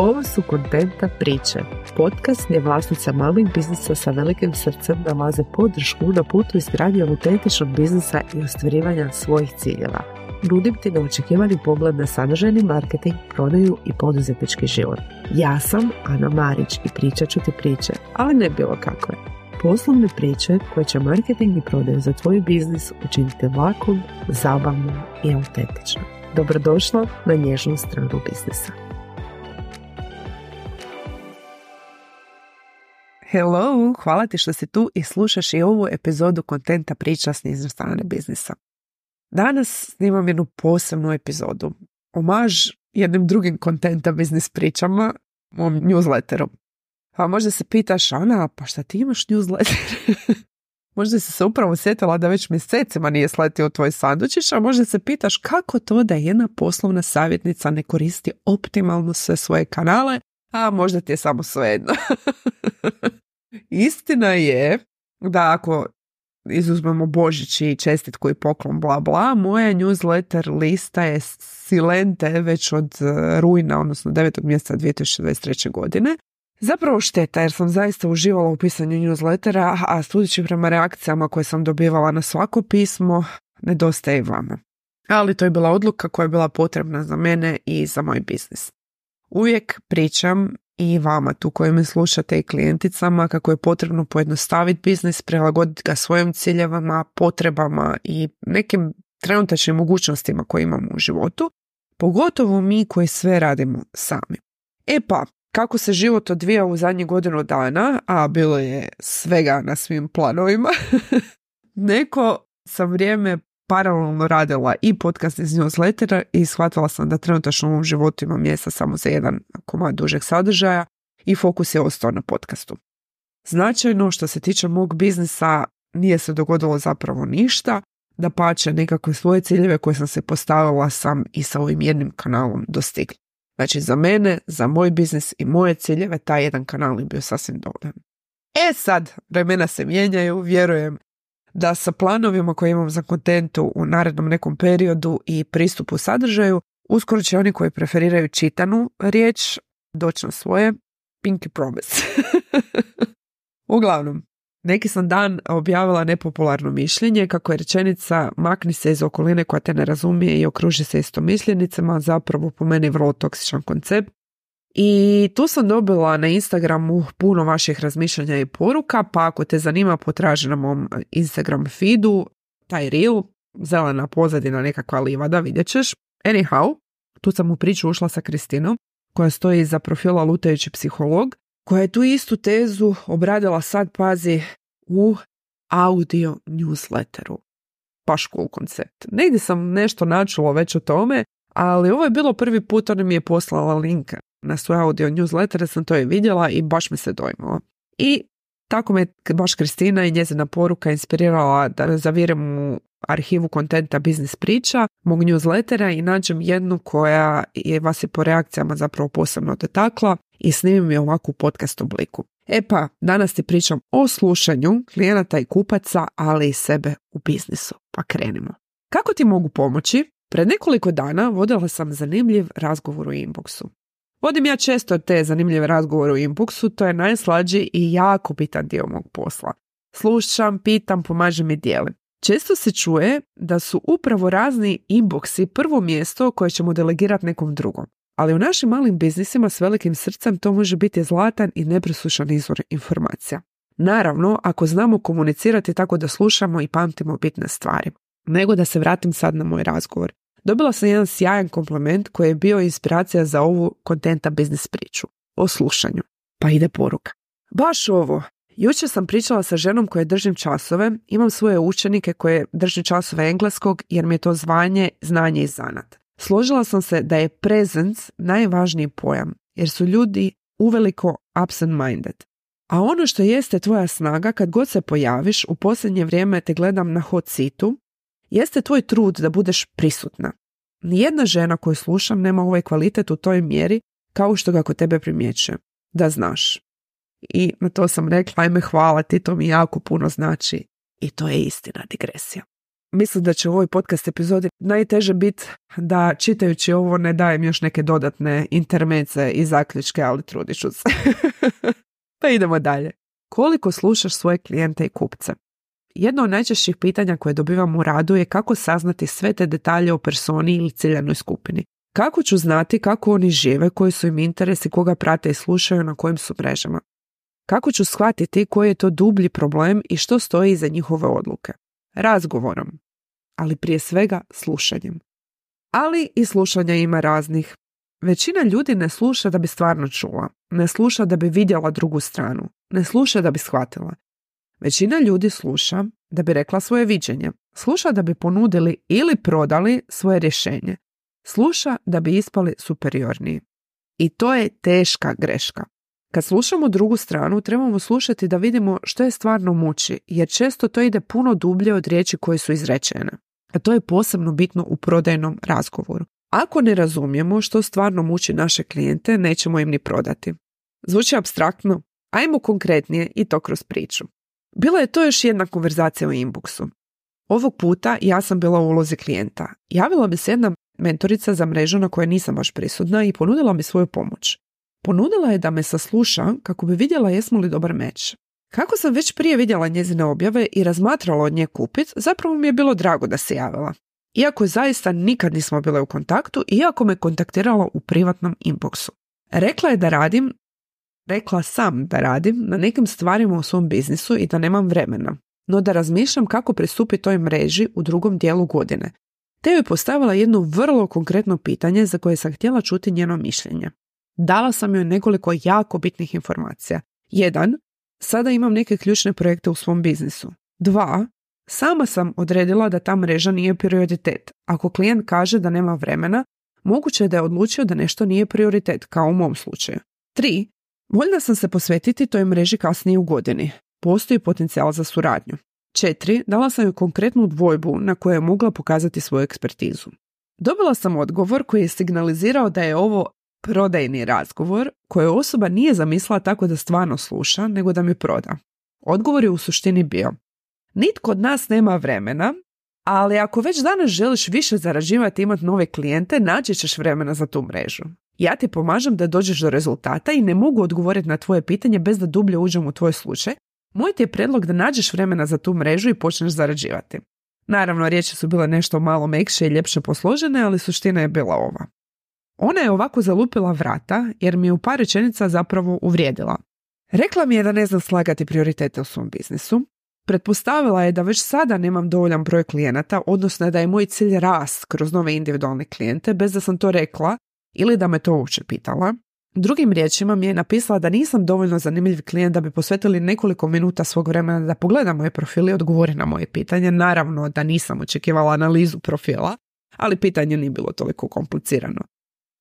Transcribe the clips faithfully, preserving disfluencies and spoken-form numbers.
Ovo su Kontenta priče, podcast gdje vlasnica malih biznisa sa velikim srcem nalaze podršku na putu izgradnje autentičnog biznisa i ostvarivanja svojih ciljeva. Nudim ti neočekivani pogled na sadržajni marketing, prodaju i poduzetnički život. Ja sam Ana Marić i pričat ću ti priče, ali ne bilo kakve. Poslovne priče koje će marketing i prodaju za tvoj biznis učiniti lakom, zabavnom i autentičnom. Dobrodošla na nježnu stranu biznisa. Hello, hvala ti što si tu i slušaš i ovu epizodu Kontenta priča s nježne strane biznisa. Danas snimam jednu posebnu epizodu. Omaž jednim drugim Kontenta biznis pričama, mom newsletteru. Pa možda se pitaš, Ana, pa šta ti imaš newsletter? Možda si se upravo sjetila da već mjesecima nije sletio tvoj sandučić, a možda se pitaš kako to da jedna poslovna savjetnica ne koristi optimalno sve svoje kanale, a možda ti je samo svejedno. Istina je da ako izuzmemo Božić i čestitku i poklon bla bla, moja newsletter lista je silente već od rujna, odnosno devetog mjeseca dvije tisuće dvadeset treće. godine. Zapravo šteta jer sam zaista uživala u pisanju newslettera, a sudeći prema reakcijama koje sam dobivala na svako pismo, nedostaje i vama. Ali to je bila odluka koja je bila potrebna za mene i za moj biznis. Uvijek pričam i vama tu koji me slušate i klijenticama kako je potrebno pojednostaviti biznis, prilagoditi ga svojim ciljevama, potrebama i nekim trenutačnim mogućnostima koje imamo u životu, pogotovo mi koji sve radimo sami. E pa, kako se život odvija u zadnjih godinu dana, a bilo je svega na svim planovima, neko sam vrijeme paralelno radila i podcast iz newslettera i shvatila sam da trenutačno u ovom životu imam mjesta samo za jedan komad dužeg sadržaja i fokus je ostao na podcastu. Značajno što se tiče mog biznisa nije se dogodilo zapravo ništa, dapače nekakve svoje ciljeve koje sam se postavila sam i sa ovim jednim kanalom dostigla. Znači za mene, za moj biznis i moje ciljeve taj jedan kanal je bio sasvim dovoljan. E sad, vremena se mijenjaju, vjerujem da sa planovima koje imam za kontentu u narednom nekom periodu i pristupu sadržaju, uskoro će oni koji preferiraju čitanu riječ doći na svoje pinky promise. Uglavnom, neki sam dan objavila nepopularno mišljenje kako je rečenica makni se iz okoline koja te ne razumije i okruži se istomišljenicama, zapravo po meni vrlo toksičan koncept. I tu sam dobila na Instagramu puno vaših razmišljanja i poruka, pa ako te zanima potraži na mom Instagram feedu taj reel, zelena pozadina nekakva livada, vidjet ćeš. Anyhow, tu sam u priču ušla sa Kristinom, koja stoji iza profila Lutajući psiholog, koja je tu istu tezu obradila sad, pazi, u audio newsletteru. Baš cool koncept. Negdje sam nešto načula već o tome, ali ovo je bilo prvi put, ona mi je poslala link na svoj audio newsletter, sam to je vidjela i baš mi se dojmala. I tako me baš Kristina i njezina poruka inspirirala da zavirem u arhivu kontenta biznis priča, mog newslettera i nađem jednu koja je vas je po reakcijama zapravo posebno dotakla i snimim je ovako u podcast obliku. E pa, danas ti pričam o slušanju klijenata i kupaca, ali i sebe u biznisu. Pa krenimo. Kako ti mogu pomoći? Pred nekoliko dana vodila sam zanimljiv razgovor u inboxu. Vodim ja često te zanimljive razgovore u inboxu, to je najslađi i jako bitan dio mog posla. Slušam, pitam, pomažem i dijelim. Često se čuje da su upravo razni inboxi prvo mjesto koje ćemo delegirati nekom drugom. Ali u našim malim biznisima s velikim srcem to može biti zlatan i nepresušan izvor informacija. Naravno, ako znamo komunicirati tako da slušamo i pamtimo bitne stvari. Nego da se vratim sad na moj razgovor. Dobila sam jedan sjajan kompliment koji je bio inspiracija za ovu kontenta biznis priču. O slušanju. Pa ide poruka. Baš ovo. Jučer sam pričala sa ženom koje držim časove. Imam svoje učenike koje držim časove engleskog jer mi je to zvanje, znanje i zanat. Složila sam se da je presence najvažniji pojam jer su ljudi uveliko absent-minded. A ono što jeste tvoja snaga kad god se pojaviš, u posljednje vrijeme te gledam na hot seatu, jeste tvoj trud da budeš prisutna. Nijedna žena koju slušam nema ovaj kvalitet u toj mjeri kao što ga kod tebe primjećuje. Da znaš. I na to sam rekla, ajme hvala ti, to mi jako puno znači. I to je istina, digresija. mislim da će u ovoj podcast epizodi najteže biti da čitajući ovo ne dajem još neke dodatne intermece i zaključke, ali trudit ću se. Pa idemo dalje. Koliko slušaš svoje klijente i kupce? Jedno od najčešćih pitanja koje dobivam u radu je kako saznati sve te detalje o personi ili ciljanoj skupini. Kako ću znati kako oni žive, koji su im interesi, koga prate i slušaju, na kojim su mrežama? Kako ću shvatiti koji je to dublji problem i što stoji iza njihove odluke? Razgovorom, ali prije svega slušanjem. Ali i slušanja ima raznih. Većina ljudi ne sluša da bi stvarno čula, ne sluša da bi vidjela drugu stranu, ne sluša da bi shvatila. Većina ljudi sluša da bi rekla svoje viđenje, sluša da bi ponudili ili prodali svoje rješenje, sluša da bi ispali superiorniji. I to je teška greška. Kad slušamo drugu stranu, trebamo slušati da vidimo što je stvarno muči, jer često to ide puno dublje od riječi koje su izrečene. A to je posebno bitno u prodajnom razgovoru. Ako ne razumijemo što stvarno muči naše klijente, nećemo im ni prodati. Zvuči apstraktno? Ajmo konkretnije i to kroz priču. Bila je to još jedna konverzacija u inboxu. Ovog puta ja sam bila u ulozi klijenta. Javila mi se jedna mentorica za mrežu na kojoj nisam baš prisutna i ponudila mi svoju pomoć. Ponudila je da me sasluša kako bi vidjela jesmo li dobar meč. Kako sam već prije vidjela njezine objave i razmatrala od nje kupit, zapravo mi je bilo drago da se javila. Iako zaista nikad nismo bile u kontaktu, iako me kontaktirala u privatnom inboxu. Rekla je da radim, rekla sam da radim na nekim stvarima u svom biznisu i da nemam vremena, no da razmišljam kako pristupiti toj mreži u drugom dijelu godine. Te joj postavila jedno vrlo konkretno pitanje za koje sam htjela čuti njeno mišljenje. Dala sam joj nekoliko jako bitnih informacija. Jedan, sada imam neke ključne projekte u svom biznisu. Dva, sama sam odredila da ta mreža nije prioritet. Ako klijent kaže da nema vremena, moguće je da je odlučio da nešto nije prioritet, kao u mom slučaju. Tri, voljna sam se posvetiti toj mreži kasnije u godini. Postoji potencijal za suradnju. Četiri, dala sam joj konkretnu dvojbu na kojoj je mogla pokazati svoju ekspertizu. Dobila sam odgovor koji je signalizirao da je ovo prodajni razgovor koje osoba nije zamislila tako da stvarno sluša, nego da mi proda. Odgovor je u suštini bio: nitko od nas nema vremena, ali ako već danas želiš više zarađivati i imati nove klijente, naći ćeš vremena za tu mrežu. Ja ti pomažem da dođeš do rezultata i ne mogu odgovoriti na tvoje pitanje bez da dublje uđem u tvoj slučaj. Moj ti je predlog da nađeš vremena za tu mrežu i počneš zarađivati. Naravno, riječi su bile nešto malo mekše i ljepše posložene, ali suština je bila ova. Ona je ovako zalupila vrata jer mi je u par rečenica zapravo uvrijedila. Rekla mi je da ne znam slagati prioritete u svom biznisu. Pretpostavila je da već sada nemam dovoljan broj klijenata, odnosno da je moj cilj rast kroz nove individualne klijente bez da sam to rekla ili da me to uopće pitala. Drugim riječima mi je napisala da nisam dovoljno zanimljiv klijent da bi posvetili nekoliko minuta svog vremena da pogleda moje profile i odgovori na moje pitanje. Naravno da nisam očekivala analizu profila, ali pitanje nije bilo toliko komplicirano.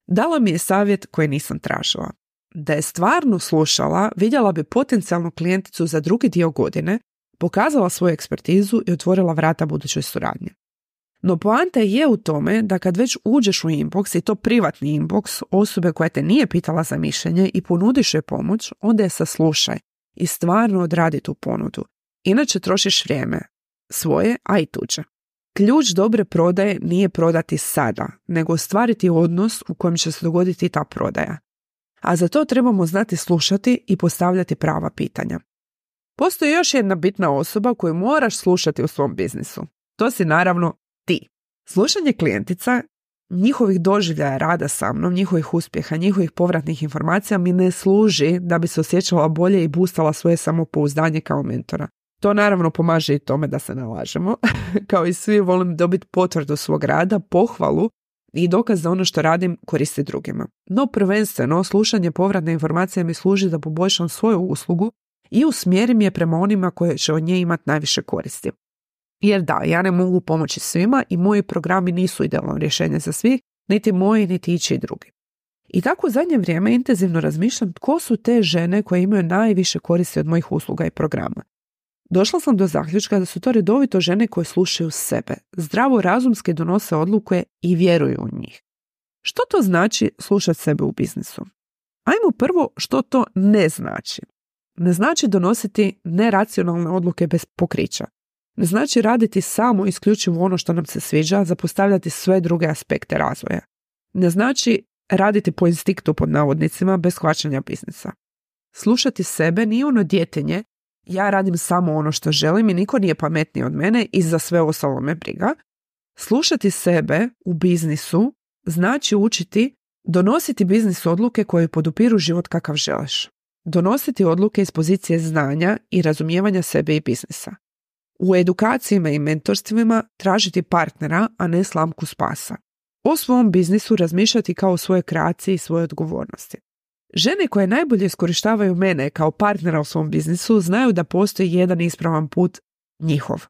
Dala mi je savjet koji nisam tražila. Da je stvarno slušala, vidjela bi potencijalnu klijenticu za drugi dio godine, pokazala svoju ekspertizu i otvorila vrata budućoj suradnji. No poanta je u tome da kad već uđeš u inbox, i to privatni inbox osobe koja te nije pitala za mišljenje i ponudiš joj pomoć, onda je saslušaj i stvarno odradi tu ponudu. Inače trošiš vrijeme, svoje, a i tuđe. Ključ dobre prodaje nije prodati sada, nego ostvariti odnos u kojem će se dogoditi ta prodaja. A za to trebamo znati slušati i postavljati prava pitanja. Postoji još jedna bitna osoba koju moraš slušati u svom biznisu. To si naravno ti. Slušanje klijentica, njihovih doživljaja rada sa mnom, njihovih uspjeha, njihovih povratnih informacija mi ne služi da bi se osjećala bolje i boostala svoje samopouzdanje kao mentora. To naravno pomaže i tome da se ne lažemo. Kao i svi volim dobiti potvrdu svog rada, pohvalu i dokaz da ono što radim koristi drugima. No prvenstveno slušanje povratne informacije mi služi da poboljšam svoju uslugu i usmjerim je prema onima koje će od nje imati najviše koristi. Jer da, ja ne mogu pomoći svima i moji programi nisu idealno rješenje za svih, niti moji, niti ići drugi. I tako u zadnje vrijeme intenzivno razmišljam tko su te žene koje imaju najviše koristi od mojih usluga i programa. Došla sam do zaključka da su to redovito žene koje slušaju sebe, zdravo razumski donose odluke i vjeruju u njih. Što to znači slušati sebe u biznisu? Ajmo prvo što to ne znači. Ne znači donositi neracionalne odluke bez pokrića. Ne znači raditi samo isključivo ono što nam se sviđa, zapostavljati sve druge aspekte razvoja. Ne znači raditi po instinktu pod navodnicima bez shvaćanja biznisa. Slušati sebe nije ono djetinje, ja radim samo ono što želim i niko nije pametniji od mene i za sve ostalo me briga. Slušati sebe u biznisu znači učiti donositi biznis odluke koje podupiru život kakav želiš. Donositi odluke iz pozicije znanja i razumijevanja sebe i biznisa. U edukacijama i mentorstvima tražiti partnera, a ne slamku spasa. O svom biznisu razmišljati kao o svojoj kreaciji i svojoj odgovornosti. Žene koje najbolje iskorištavaju mene kao partnera u svom biznisu znaju da postoji jedan ispravan put njihov.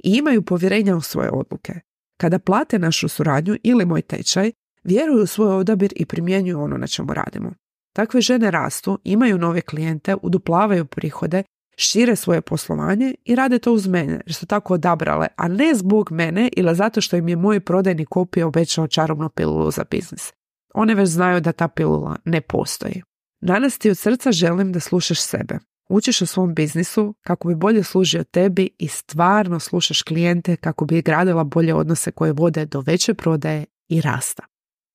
I imaju povjerenja u svoje odluke. Kada plate našu suradnju ili moj tečaj, vjeruju u svoj odabir i primjenjuju ono na čemu radimo. Takve žene rastu, imaju nove klijente, uduplavaju prihode, šire svoje poslovanje i rade to uz mene jer su tako odabrale, a ne zbog mene ili zato što im je moj prodajni kopij obećao čarobnu pilulu za biznis. One već znaju da ta pilula ne postoji. Danas ti od srca želim da slušaš sebe. Učiš o svom biznisu kako bi bolje služio tebi i stvarno slušaš klijente kako bi gradila bolje odnose koje vode do veće prodaje i rasta.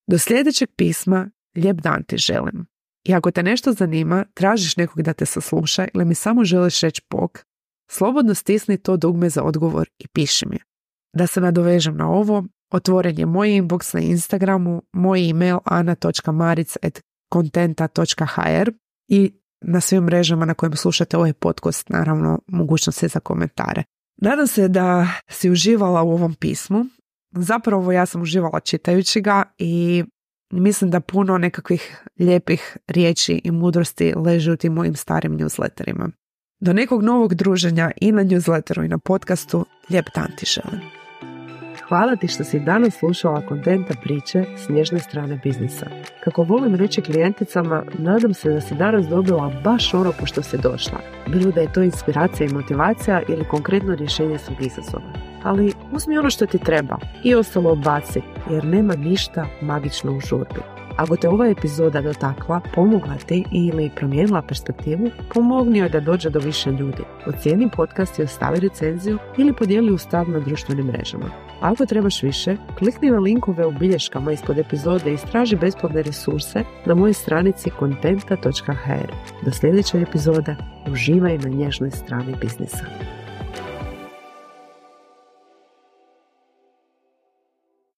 Do sljedećeg pisma, lijep dan ti želim. I ako te nešto zanima, tražiš nekog da te sasluša ili mi samo želiš reći bok, slobodno stisni to dugme za odgovor i piši mi. Da se nadovežem na ovo, otvoren je moj inbox na Instagramu, moj email ana točka maric at kontenta točka h r i na svim mrežama na kojim slušate ovaj podcast, naravno, mogućnost je za komentare. Nadam se da si uživala u ovom pismu. Zapravo ja sam uživala čitajući ga i mislim da puno nekakvih lijepih riječi i mudrosti leži u tim mojim starim newsletterima. Do nekog novog druženja i na newsletteru i na podcastu, lijep dan ti želim. Hvala ti što si danas slušala Kontenta priče s nježne strane biznisa. Kako volim reći klijenticama, nadam se da si danas dobila baš ono po što si došla. Bilo da je to inspiracija i motivacija ili konkretno rješenje svog izazova. Ali uzmi ono što ti treba i ostalo odbaci, jer nema ništa magično u žurbi. Ako te ova epizoda dotakla, pomogla ti ili promijenila perspektivu, pomogni joj da dođe do više ljudi. Ocijeni podcast i ostavi recenziju ili podijeli u stav na društvenim mrežama. Ako trebaš više, klikni na linkove u bilješkama ispod epizode i istraži besplatne resurse na mojoj stranici kontenta točka h r. Do sljedeće epizode, uživaj na nježnoj strani biznisa.